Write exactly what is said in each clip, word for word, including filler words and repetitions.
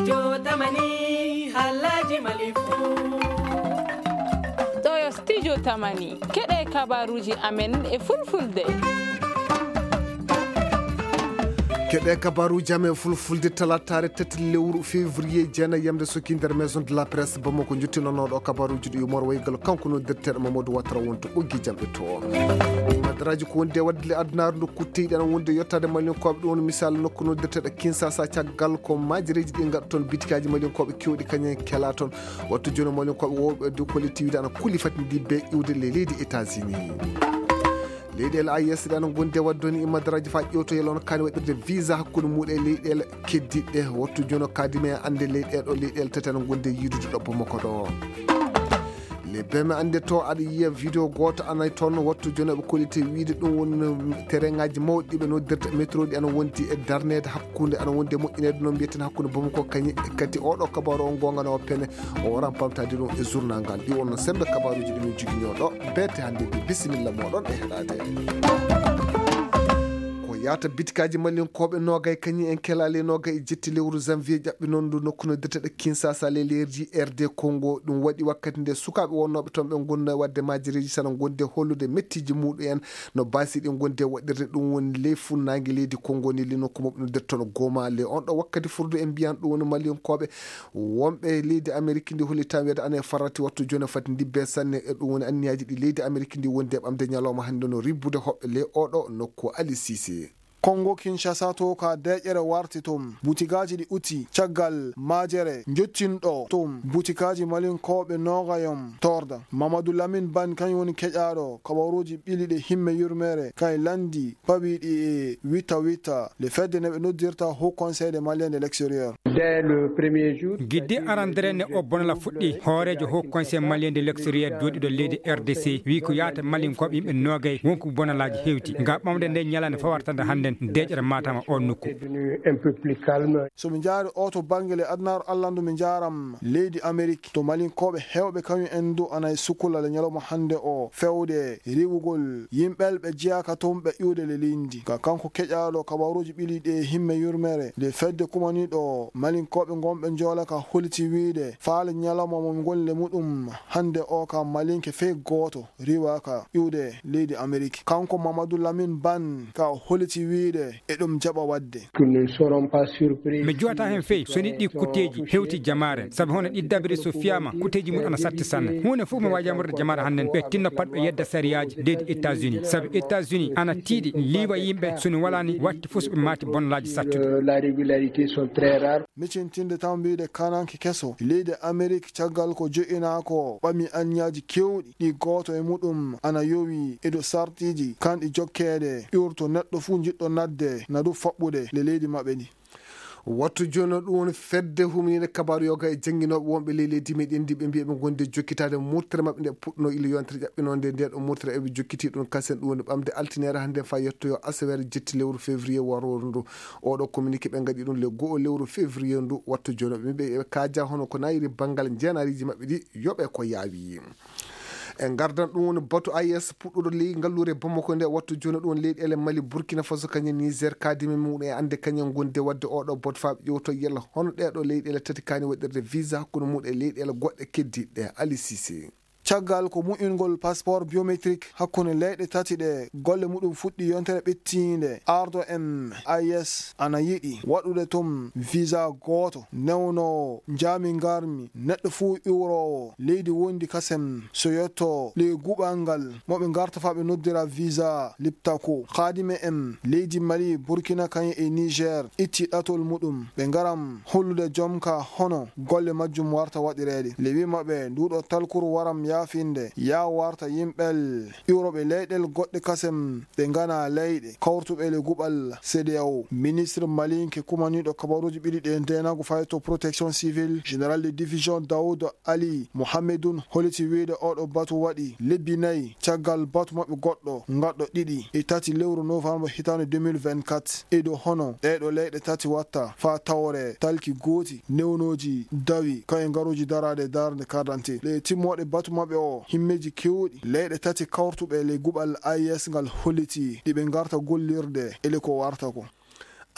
Yo tamani, halaji mali fu. Ɗo yo studio tamani. Keɗe kabaruji amen e fulfulde. Keɗe kabaruji amen fulfulde, talataare tati lewru février, jeena yamde soki nder maison de la presse Bamako. Jottinonoɗo kabaruji ɗi Umar Waygal, kanko noddirteɗo Mamadou Ouattara wonto ɓoggi jamɗe to. Madaraji ko wonde wadde le adunaaru ndu kutteyɗi ana wonde yottade Malinkooɓe, ɗum woni misal nokku noddirteɗo Kinshasa, caggal ko majireji ɗi ngaɗa toon bitikaji Malinkooɓe kewɗi kañum en kela toon. Wattu jooni Malinkooɓe wowɓe dow ko letti wiide ana kuli fati ndi be iwde le leydi États-Unis. Leyɗeele A E S ɗe ana ngondi e wadde ni madaraji fa ƴewtoyel on kaani waɗirde visa hakkunde muɗum e leyɗeele keddiɗe. Wattu jooni o kadime ande leyɗeele ɗo leyɗeele tati ana ngondi e yiidude ɗo Bamako ɗo. Le beme ande to aɗa yiya vidéo gooto ana toon wattu jooni ɓe kolliti wiide ɗum woni tereŋaaji mawɗi ɓe noddirta métro ɗi ana wondi e darneede hakkunde ana wondi e moƴƴineede noon mbiyeten hakkunde Bamako kañi e kadi oɗo kabaru on goonga no pene o waran pamtaade ɗum e journal ngal. Ɗi wonno sembe kabaruji ɗi min joginoo ɗo. Beete hannde ndi bisimilla moɗon e heɗaade. Ko yaata bitikaji Malinkooɓe noogay kañi en kelaali noogay e jetti lewru janvier ƴaɓɓi noon ndu nokku no dirteɗe Kinshasa le lerdi R D Congo. Ɗum waɗi wakkati nde sukaaɓe wonnooɓe toon ɓe ngonno e waɗde majireji sana gonde hollude mettiiji muɗum en no baasi ɗi gonde waɗirde. Ɗum woni ley funnaange leydi Congo ni li nokku moɓe no dirtono Goma le on ɗo wakkati furdu en mbiyan ɗum woni Malinkooɓe wonɓe leydi Ameriki ndi holli tan wiyde ana e farrati wattu jooni fati ndibbe sanne. E ɗum woni anniyaaji ɗi leydi Ameriki ndi wondi e ɓamde ñalawma hannde no ribbude hoɓɓe ley oɗo nokku. Ali Sise. Kongo Kinshasa to ka deƴere warti tum butigaaji ɗi uti caggal majere njottinɗo tum butigaaji Malinkooɓe noogayom torda. Mamadou Lamine Ban kañum woni keƴaaɗo kabaruuji ɓili ɗe himme yurmeere kay landi pawiɗi e witta witta le fedde ne ɓe noddirta Haut Conseil de Malien de l'extérieur. Dès le premier jour, gidde arandere ne o bonala fuɗɗi hooreejo Haut Conseil Malien de l'extérieur jooɗiɗo leydi R D C wi ko yaata Malinkooɓe yimɓe noogay wonko bonalaaji hewti nga ɓamde nde ñalande fawartande hannden deƴere matama on nokku. Somi jaari o to bangge le adunaaru allandu mi jaaram leydi Amerik to Malinkooɓe hewɓe kañum en du ana e sukula le ñalawma hannde o fewde riwugol yimɓel ɓe jeyaka toon ɓe iwde le lindi ka kanko keƴaaɗo kabaruuji ɓili ɗe himme yurmere nde fedde kumaniiɗo Malinkooɓe ngonɓe njoolaka holiti wiide faale ñalawma mo ngoni le muɗum hannde o ka Malinke fey gooto riwaka iwde leydi Amerik. Kanko Mamadou Lamine Ban ka o holiti wiide e ɗum jaɓa waɗde. Mi jowata heen fey so ni ɗi kutteeji hewti jamaare sabu hono ɗi dabiri so fiyama kutteeji mum ana satti sanne huunde fof mi waawi yamorde jamaare hannden ɓe tinno pat ɓe yedda sariyaaji leydi États-Unis sabu États-Unis ana tiiɗi liiwa yimɓe so ni walaani watti fof so ɓe maati bonnalaaji sattude. Micintinde tan mbiide kananke keso leydi Amerik caggal ko jo'inaa ko ɓami anñaaji keewɗi ɗi gooto e muɗum ana yowi e dow sartiiji kanɗi jokkeede iwrto neɗɗo fuu njiɗɗo natde na du faɓɓude le leydi maɓɓe ndi. Wattu jooni ɗum woni fedde humniinde kabaaru yoga e jannginooɓe wonɓe ley leydi meɗen ndi ɓe mbiya ɓe ngondi e jokkitaade murtere maɓɓe nde puɗɗunoo ila yontere ƴaɓɓinoonde nde ɗo murtere eɓe jokkiti ɗum kasen ɗum woni ɓamde altiniere hannde fa yettoyo asaweere jetti lewru février warooru ndu. Oɗo communiqué ɓe ngaɗi ɗum le go'o lewru février ndu wattu jooni ɓe mbiya ɓe kaaja hono ko nayiri banngal njeenaariiji maɓɓe ɗi yoɓe ko yaawi. En ngardan ɗum woni batu A E S puɗɗuɗo ley ngalluure Bamako nde wattu jooni ɗum woni leyɗeele Mali Burkina Faso kañum Niger kadime muɗum e annde kañum gonde waɗde oɗo batu faa ɓe ƴewto yalla hono ɗeɗo leyɗeele tati kaani waɗirde visa hakkunde muɗum e leyɗeele goɗɗe keddiɗe Ali Sise. Caggal ko mu'ingol passeport biométrique hakkunde leyɗe tati ɗe golle muɗum fuɗɗi yontere ɓettiinde ardo en A E S ana yiɗi waɗude toon visa gooto newnoowo njaami ngarmi neɗɗo fuu iwroowo leydi wondi kasem so yotto ley guɓal ngal mo ɓe ngarta faa ɓe noddira visa liptako kadime en leydi Mali Burkina kañum e Niger itti ɗatol muɗum ɓe ngaram hollude jom ka hono golle majjum warta waɗireede le wi maɓɓe nduɗo talkuru waram yaafinde yaa warta yimɓel iwroɓe leyɗel goɗɗe kasem ɓe ngana leyɗe kawrutuɓe le guɓal C D A O. Ministre malinke kumaniɗo kabaruji ɓiɗi ɗe ndenagu fayto protection civile général de division Daoud Ali Mohamedun holiti wiide oɗo batu waɗi lebbi nayi caggal batu maɓɓe goɗɗo ngaɗɗo ɗiɗi e tati lewru novembre hitande deux mille vingt-quatre e dow hono ɗeɗo leyɗe tati watta fa tawre talki gooti newnoji dawi kaye ngaruji darade darde carte d'identité le timmoɗe batu maɓɓe o himmeji kewɗi leyɗe tati kawrtuɓe le guɓal A E S ngal holliti ɗiɓe garta gollirde ele ko warta ko.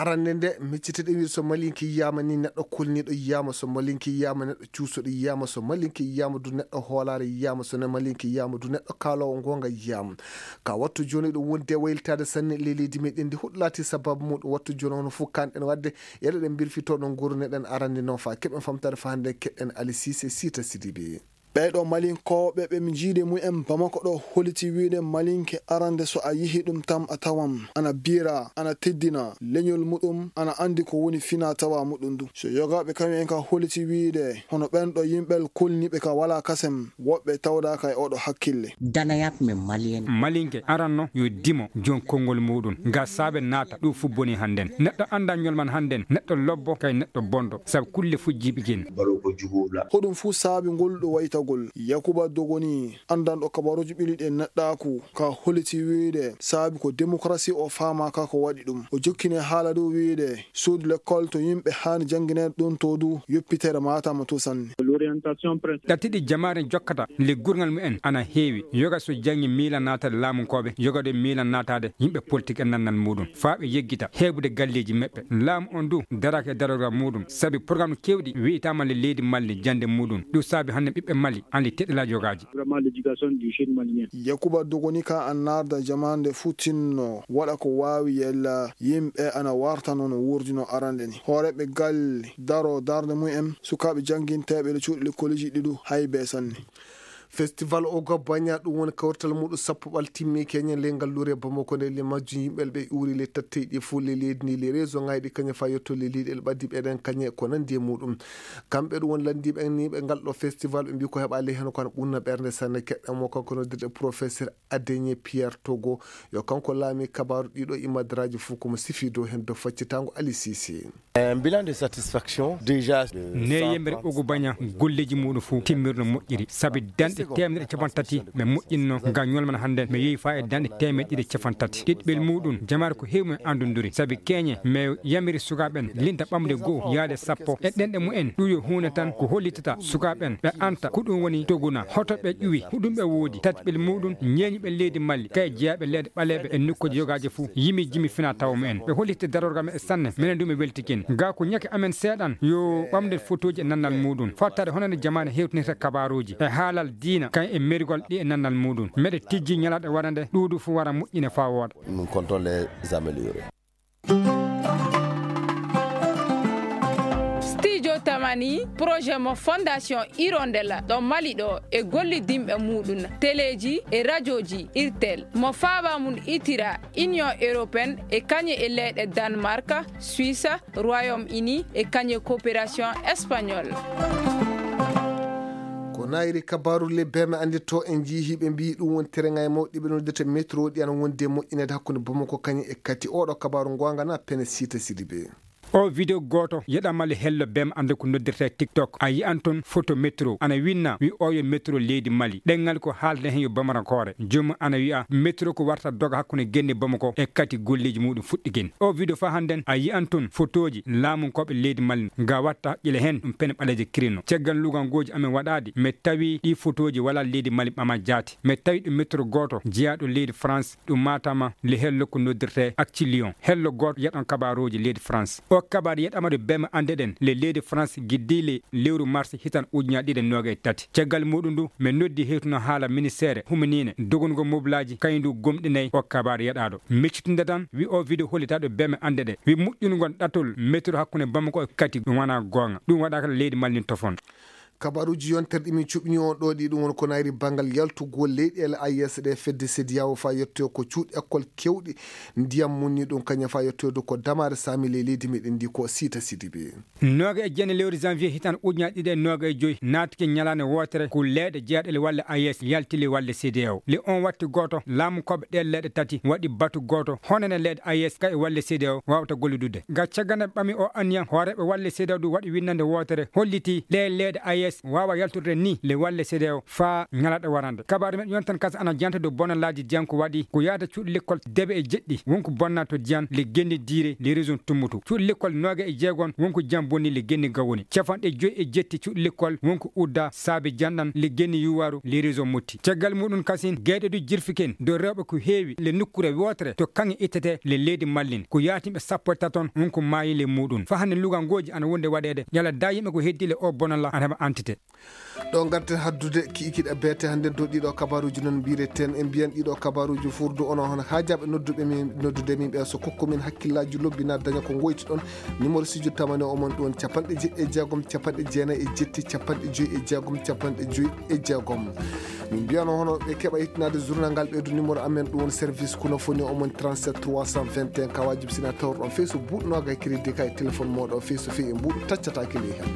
Arande nde, miccite ɗe wiide so malinke yiyaama ni, neɗɗo kulniiɗo yiyaama, so malinke yiyaama, neɗɗo cuusuɗo yiyaama, so malinke yiyaama du, neɗɗo hoolaare yiyaama, so ne malinke yiyaama du, neɗɗo kaaloowo ngoonga yiyaama. Ka wattu jooni ɗo wonde waylitaade sanne ley leydi meɗen ndi, huɗo laati sababu muɗum wattu jooni hono fof kanɗen waɗde, yeɗoɗen mbirfitoo ɗo nguurneɗen arande noon faa keɓen famtaade faa hannde keɗɗen Ali Siise Siita Sidibe. Ɓee ɗoo malinkooɓe ɓe mi jiide mumen Bamako ɗo holiti wiide malinke arande so a yihi ɗum tan a tawan ana biira, ana teddina leñol muɗum, ana anndi ko woni fina tawa muɗum du. So yogaaɓe kañum en ka holiti wiide hono ɓen ɗo yimɓe kulniiɓe ka walaa kasem, woɓɓe tawdaaka e oɗo hakkille. Danayaaɓe men Malien. Malinke aranno yo dimo jon konngol muɗum. Nga saabe naata ɗum fof boni hannden. Neɗɗo annda ñolman hannden, neɗɗo lobbo kay neɗɗo bonɗo, sabu kulle fujjiiɓe kin. Hoɗum fuu saabi ngol ɗo waytagol. Yakuba Dogoni, anndanɗo kabaruuji ɓiluɗi e neɗɗaaku, ka holiti wiide saabi ko demokarasi o faamaaka ko waɗi ɗum. O jokkini haala dow wiide suudu lekkol to yimɓe haani janngineede ɗum to du yoppitere maataama to sanne. Ɗattiɗi jamaare jokkata le gurngal mumen ana heewi. Yoga so janngi miila naataade laamunkooɓe, yoga ɗo miila naataade yimɓe politik e nannal muɗum. Faa ɓe yeggita heɓude galleeji maɓɓe. Laamu on du daraaka e darorgal muɗum. Sabi programme keewɗi wi'itaama le leydi Mali jannde muɗum. Ɗum saabi hannde ɓiɓɓe Mali andi teɗɗalaaji yogaaji. Yakuba Dogoni ka an naarda jamaande futinno waɗa ko waawi yella yimɓe ana warta noon wurdino arande ni. Hooreeɓe galle daro darnde mumen, sukaaɓe jannginteeɓe le cuuɗi lekkooliji ɗiɗu hay bee sanne. Festival Ogo Banya, ɗum woni kawrital muɗum sappo ɓal timmi keñen ley ngalluure Bamako nde, le majjum yimɓe ɓe uuri le tatteyɗi fof le leydi ndi, le réseau ngayɗi kañe fa yetto le leyɗe le ɓaddi ɓeɗen kañe ko nandi e muɗum. Kamɓe ɗum woni landiiɓe en ni ɓe ngal ɗo festival, ɓe mbi ko heɓa ley heno kono ɓunna ɓernde sanne. Keɗɗen mo kanko noddirɗe professeur Adeñe Pierre Togo, yo kanko laami kabaaru ɗiɗo imadraji fof komo sifi dow hen dow faccitango Ali Sisi. Un bilan de satisfaction déjà de ne yembere Ogu Baña golleji muɗum fof timmirno moƴƴiri, sabi danɗe teemedere capanɗe tati ɓe moƴƴinno ngam ñolman hannden ɓe yehi faa e danɗe teemedere capanɗe tati. Ɗiɗɓel muɗum jamaare ko heewi mo anndondiri, sabi keñe mais yamiri sukaaɓe ɓen linta ɓamde goo yaade sappo e ɗenɗe mumen. Ɗum yo huunde tan ko hollitata sukaaɓe ɓen ɓe anta ko ɗum woni toguna, hoto ɓe ƴuwi, huɗum ɓe woodi, tati ɓel muɗum ñeeñuɓe leydi Mali kay jeyaaɓe leyɗe ɓaleeɓe e nokkuuji yogaaji fof yimi jimi fina tawa mumen. Ɓe hollitti darorgal maɓɓe sanne, minen du mi weltikin. Ga ko ñake amen seeɗan yo ɓamde fotooji e nannal muɗum, fattaade hono nde jamaane hewtinirta kabaaruuji e haalal diina, kay e mergol ɗi e nannal muɗum. Meɗe tijji ñalaaɗe wara nde ɗuuɗu fof wara moƴƴine faa wooɗa. Nous comptons les améliorer. Studio Tamani, projet mo Fondation Hirondelle ɗo Mali ɗo e gollidinɓe muɗum, teleeji e rajooji Irtel, mo faaba mum itira Union Européenne e kañe e leyɗe Danemark, Suisse, Royaume-Uni e kañe coopération espagnole. Ko nayri kabaaru le beme annditto en njii hiɓe mbiyi ɗum woni terengay mawɗi ɓe noddirta métro ɗi ana wondi e moƴƴineede hakkunde Bamako kañum e Kati. Oɗo kabaaru ngoonga na pene Siita Sidibe. O video gooto yeɗama le hello bem annde ko noddirta e TikTok. A yi'an toon photo métro ana winna wi oyo métro leydi Mali. Ɗenngal ko haalde heen yo bamarankoore. Joomum ana wi'a métro ko warta doga hakkunde genne Bamako e Kati golleeji muɗum fuɗɗi gen. O video fa hannden a yi'an toon fotooji laamunkooɓe leydi Mali nga watta ƴile heen ɗum pene ɓaleeje kirino. Caggal lugal gooji amen waɗaadi, mi tawi ɗi fotooji wala leydi Mali ɓama jaati. Mi tawi ɗo métro gooto jeyaaɗo leydi France, ɗum Matam, le hello ko noddirte Acti Lyon. Hello gooto yeɗon kabaaruuji leydi France. O kabaaru yeɗama ɗo beme anndeɗen le leydi France giddi le lewru mars hitan ujunaaji ɗiɗi e noogay e tati. Caggal muɗum ndu, mi noddi hewtuno haala ministeere huminiine dogongo moblaaji, kañum ndu gomɗinay o kabaaru yeɗaaɗo. Miccitinde tan, wi o video hollitaaɗo beme anndeɗen. Wi moƴƴungol ɗatol métro hakkunde Bamako e Kati ɗum wonaa goonga. Ɗum waɗaaka leydi Mali ndin tofon. Kabaruuji yontere ɗi min cuɓini on ɗo ɗi, ɗum woni ko nayri banngal yaltugol leyɗeele A E S ɗe fedde CEDEAO faa yettoyo ko cuuɗi école keewɗi ndiyam mum ni ɗum kañum faa yettoyde ko damaare saami ley leydi meɗen ndi ko Siita Sidibe. Nooga e jeenayi lewru janvier hitaan ujunaaji ɗiɗi e nooga e joy naatike ñalaande wootere ko leyɗe jeyaaɗe le walle A E S yalti le walle CEDEAO. Le on watti gooto laamu koɓe ɗe leyɗe tati waɗi batu gooto honene leyɗe A E S ka e walle CEDEAO waawata gollidude. Ga caggal nde ɓami o anniya hooreeɓe walle CEDEAO ɗum waɗi winnande wootere holliti ɗe leyɗe A E S S wawa yaltude ni le walle C D A O fa ñalaɗo warande. Kabaru men yontan kas ana janta do bonalaaji diyan ko waɗi ko yaata cuuɗi lekkol debe e jeɗɗi wonko bonna to diyan le genni diire le région tummutu. Cuuɗi lekkol noga e jeegon wonko jam bonni le genni gawoni. Cafanɗe joyi e jetti cuuɗi lekkol wonko udda saabe janɗan le genni yuwaru le région motti. Caggal muɗum kasin gayɗe du jirfiken do rewɓe ko heewi le nukkure wotere to kaŋŋe ittete le leydi mallin. Ko yaatimɓe sappo e taton wonko maayi le muɗum. Fa hannde lugangoji ana wonde waɗede yala da yimɓe ko heddi le o bonalla ana heɓa entité. Ɗo garten haddude kiikiɗe beete hannde dow ɗiɗo kabaruuji noon mbireten en mbiyan ɗiɗo kabaruuji furdu ono hono haajaaɓe nodduɓe min noddude min ɓe so kokko min hakkillaaji lobbi na daña ko ngoyti ɗon. Numéro studio tamane o mon ɗon capanɗe jeɗɗi e jeegom capanɗe jeenayi e jetti capanɗe joyi e jeegom capanɗe joyi e jeegom. Min mbiyano hono ɓe keɓa yettinaade journal ngal ɓeydu numéro amen ɗum woni service kono foni o mon trente-sept trois cent vingt et un kawaji bisina tawr ɗon fey so buuɗnoga e crédit ka e téléphone moɗo fey so fey e mbuuɗo taccata kili hen.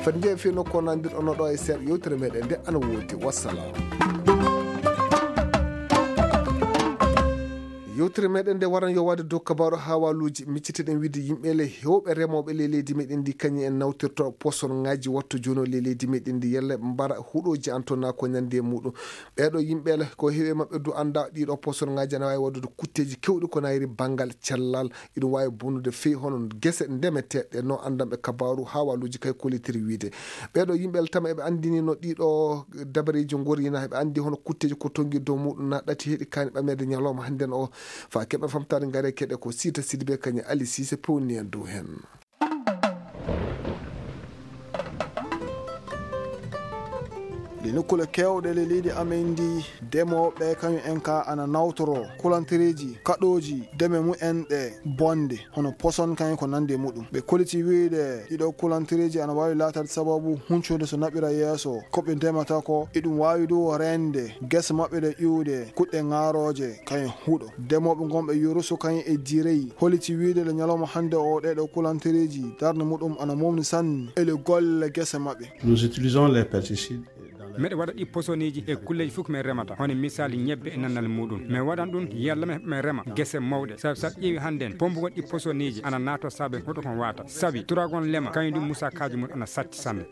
Fati njeeya fii nokko nandirɗo no ɗo e seeɗa yewtere meɗen nde ana woodi. Wassalam. Yewtere meɗen nde waran yo waɗde dow kabaru hawaluuji micciteɗen wiide yimɓe le hewɓe remooɓe le leydi meɗen ndi kañum en nawtirto poson ngaji watto jono le leydi meɗen ndi yelle mbara huɗoji antona ko ñande e muɗum. Ɓeeɗo yimɓe le ko heewi e maɓɓe du annda ɗiɗo poson ngaji ana wawi waɗude kutteji kewɗi ko nayri banngal cellal. Iɗum wawi bonnude fii hono gese ndemeteɗe no anndanɓe kabaru hawaluuji kay kollitiri wiide. Ɓeeɗo yimɓe le tama eɓe anndini no ɗiɗo dabareji ngorina eɓe anndi hono kutteji ko tongi dow muɗum na ɗati heɗi kani ɓamede ñalawma hannden o. Fa keɓa famtare ngare keɗe ko sita sidibe kañum ali sise pewni en dow hen. Ɗi nokkule kewɗe le leydi amen ndi, demooɓe kañum en ka ana nawtoro kulantereeji kaɗooji deme mumen ɗe bonde hono poson kañum ko nande muɗum. Ɓe koliti wiyde ɗiɗo kulantereeji ana waawi laataade sababu huncude so naɓira yeeso ko ɓe ndemata ko. Iɗum waawi du reende gese maɓɓe ɗe ƴuwde kuɗɗe ŋaarooje kañum huɗo. Demooɓe ngonɓe Yurusu kañum e Direy holiti wiyde le ñalawma hannde o ɗeɗo kulantereeji darnde muɗum ana momni sanne e le golle gese maɓɓe. Nous utilisons les pesticides dans les Meɗe waɗa ɗi posoniji e kulleji fof ko min remata hono misali ñebbe e nannal muɗum. Min waɗan ɗum yalla min rema gese mawɗe sabi sa ƴeewi hannden pombugol ɗi posoniji ana naato saabe hoto kon wata sabi turagon lema kañum ɗum musakaji mum ana satti sanne.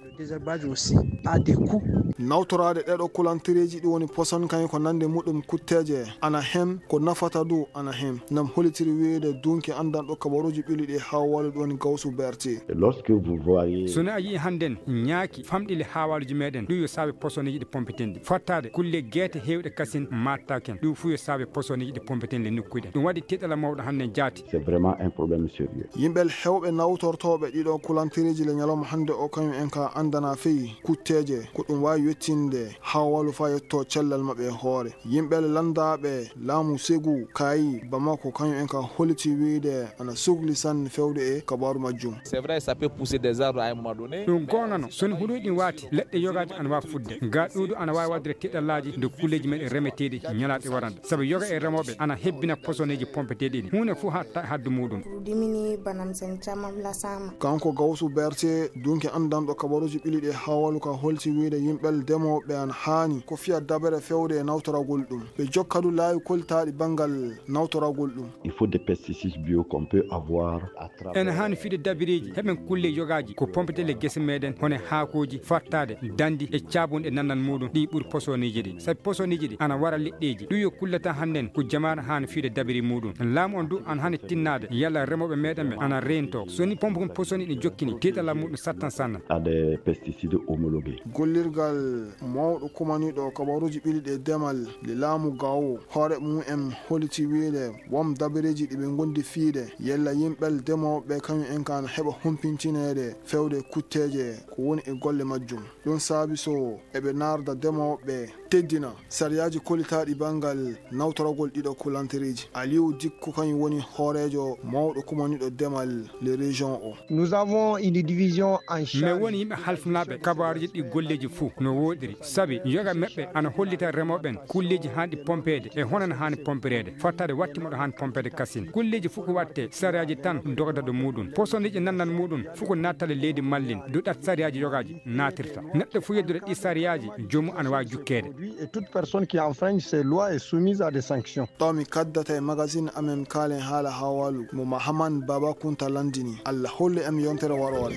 Nawtoraade ɗeɗo kulantereeji ɗi woni poson kañum ko nande muɗum kutteeje ana hen ko nafata du ana hen. Nam holitiri wiyde dunki anndanɗo kabaruuji ɓili ɗi hawalu ɗi woni gawsu berti. Lorsque vous voyez Sona a yii hannden ñaaki famɗi le hawaluji meɗen ɗum yo saabe posoniji ɗi pompitendi fattaade kulle geete hewɗe kasin mattaken ɗum fuu yo saabe posoniji ɗi pompitendi le nokkuɗen ɗum waɗi tiɗala mawɗo hannden jaati. C'est vraiment un problème sérieux. Yimɓe hewɓe nawtortooɓe ɗiɗo kulantereeji le ñalawma hannde o kañum en ka anndana fii kutteeje ko ɗum waawi yettinde hawalu fa yetto cellal maɓɓe e hoore. Yimɓe lanndaaɓe laamu Segu Kaayi Bamako kañum en ka holiti wiyde ana sugli sanne fewde e kabaaru majjum. C'est vrai, ça peut pousser des arbres à un moment donné. Ɗum goonga no soni huɗoy ɗin waati leɗɗe yogaaji ana waawi fuɗde ga ɗuuɗu ana waawi waɗde tiɗallaaji nde kulleeji men e remeteeɗi ñalaɗe warande sabu yoga e remooɓe ana hebbina posoneeji pompeteeɗi ɗi huunde fof ha ta haddu muɗum. Produit mini banam sen camam lasama. Kanko Gawsu Berte dunki anndanɗo kabaruuji ɓili ɗi hawalu ka holti wiyde yimɓe demooɓe an haani ko fiya dabere fewde e nawtoragol ɗum ɓe jokkadu laawi koltaaɗi banngal nawtoragol ɗum. Il faut des pesticides bio qu'on peut avoir à travers. Ene haani fiide dabireeji heɓen kulle yogaaji ko pompetele gese meɗen hono haakooji fattaade dandi e caabunɗe nannal muɗum ɗi ɓuri posoniji ɗi sabi posoniji ɗi ana wara leɗɗeeji ɗum yo kullata hannden ko jamaare haani fiide dabiri muɗum laamu on du ana haani tinnaade yalla remooɓe meɗen ɓe ana reento soni pompe kon posoni ɗi jokkini tiiɗalal muɗum sattan sanna. À des pesticides homologués. Gollirgal mawɗo kumaniiɗo kabaruuji ɓili ɗi demal le laamu gawo hoore mum en holiti wiyde won dabareeji ɗi ɓe ngondi fiide yalla yimɓe demooɓe kañum en kan heɓa humpintineede fewde kutteeje ko woni e golle majjum. Ɗum saabi so eɓe naarda demooɓe teddina sariyaaji kolitaaɗi banngal nawtoragol ɗiɗo kulantereeji. Aliou Dikko kañum woni hooreejo mawɗo kumaniiɗo demal le région o. Nous avons une division en charge. Min woni yimɓe halfinaaɓe kabaaruuji ɗi golleeji fuu no wooɗiri sabi yoga meɓɓe ana hollita remooɓe ɓen kulleeji haanɗi pompeede e hono no haani pompereede fottaade watti moɗo haani pompeede kasin kulleeji fuu ko watte sariyaaji tan dogata ɗo muɗum posoniiji nannal muɗum fuu ko nattale leydi mallin duɗat sariyaaji yogaaji naatirta neɗɗo fuu yeddude ɗi sariyaaji joomum ana waawi jukkeede. Et toute personne qui enfreint ces lois est soumise à des sanctions. Ɗo mi kaddata e magazine amen kaalen haala hawalu mo Mahaman Baba Kunta landini. Allah hollu en yontere waroore.